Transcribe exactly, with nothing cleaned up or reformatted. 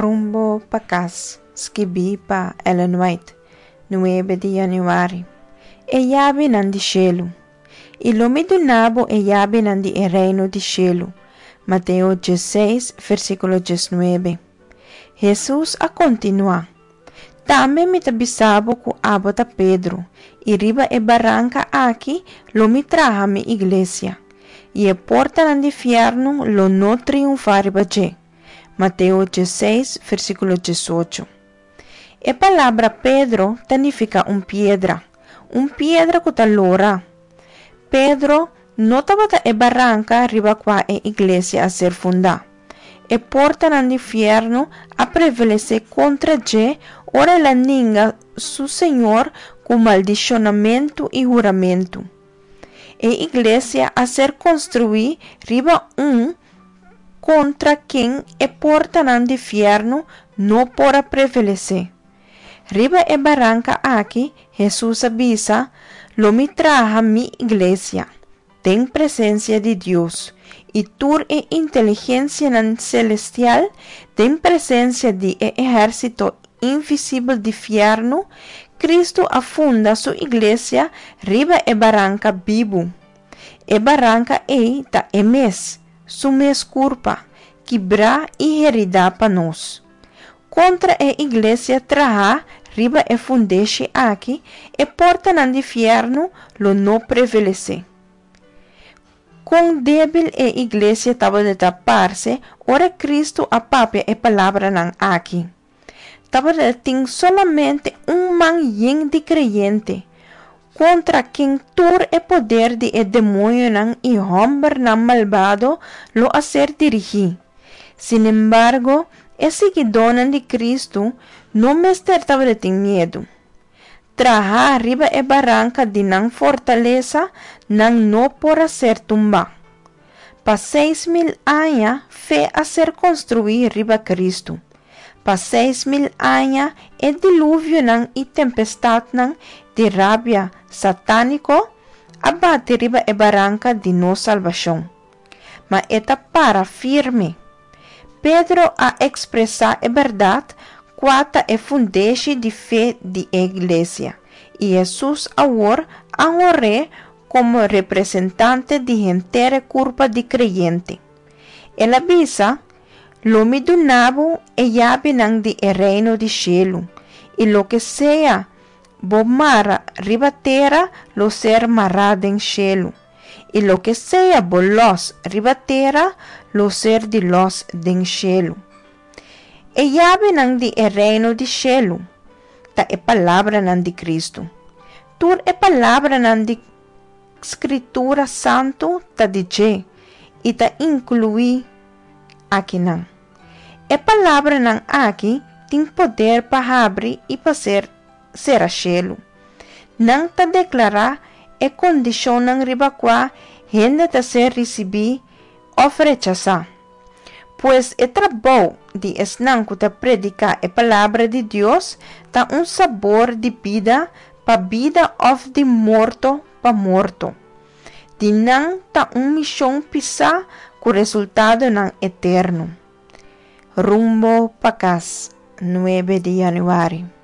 Rumbo pa Kas, skibí pa Ellen White, nuebe di yanüari. E yabinan di shelu. I lo mi duna bo e yabinan di e reino di shelu. Mateo diesseis, versíkulo diesnuebe. Hesus a kontinuá, Tambe mi ta bisa bo ku abo ta Pedro, i riba e baranka aki lo mi traha mi iglesia, i e portanan di fièrnu lo no triunfá riba dje. Mateo diesseis, versíkulo diesocho. E palabra Pedro ta nifiká un piedra, un piedra ku ta lora. Pedro no tabata e baranka riba kua e iglesia a ser fundá. E portanan di fièrnu a prevalesé kontra dje ora el a ninga su Señor ku maldishonamentu i huramentu. E iglesia a ser konstruí riba un kontra ken e portanan di fièrnu no por a prevalesé. Riba e baranka aki, Hesus a bisa, Lo mi traha mi iglesia, den presensia di Dios, i tur e inteligensianan selestial, den presensia di e ehérsito invisibel di fièrnu. Kristu a funda su iglesia riba e baranka bibu. E baranka ei ta e mes, su mes kurpa, kibrá i heridá pa nos. Kontra e iglesia trahá riba e fundeshi aki, e portanan di fièrnu lo no prevalesé. Kon débil e iglesia tabata parse ora Kristu a papia e palabranan aki! Tabata tin solamente un man yen di kreyente, kontra ken tur e poder di e demoñonan i hòmbernan malbado lo a ser dirigí. Sinembargo, e siguidónan di Kristu no mester tabatin miedu. Trahá riba e baranka di nan fortalesa, nan no por a ser tumbá. Pa seis mil aña fe a ser konstruí riba Kristu. Pa seis mil aña e diluvionan i tempestatnan di rabia satániko a bati riba e baranka di nos salbashon. Ma e ta para firme. Pedro a ekspresá e bèrdat kua ta e fundeshi di fe di e iglesia, i Hesus awor a honr'é komo representante di henter e kurpa di kreyente. El a bisa, Lo mi duna bo e yabinan di e reino di shelu, i loke sea bo mara riba tera lo ser mará den shelu, i loke sea bo lòs riba tera lo ser di lòs den shelu. E yabinan di e reino di shelu ta e palabranan di Kristu. Tur e palabranan di Skritura Santu ta di dje i ta inkluí akinan. E palabranan aki tin poder pa habri i pa ser sera shelu. Nan ta deklará e kondishonnan riba kua hende ta ser risibí òf rechasá. Pues e trabou di esnan ku ta prediká e Palabra di Dios ta un sabor di bida pa bida òf di morto pa morto. Di nan ta un mishon pisá ku resultadonan eterno. Rumbo pa Kas, nuebe di yanüari.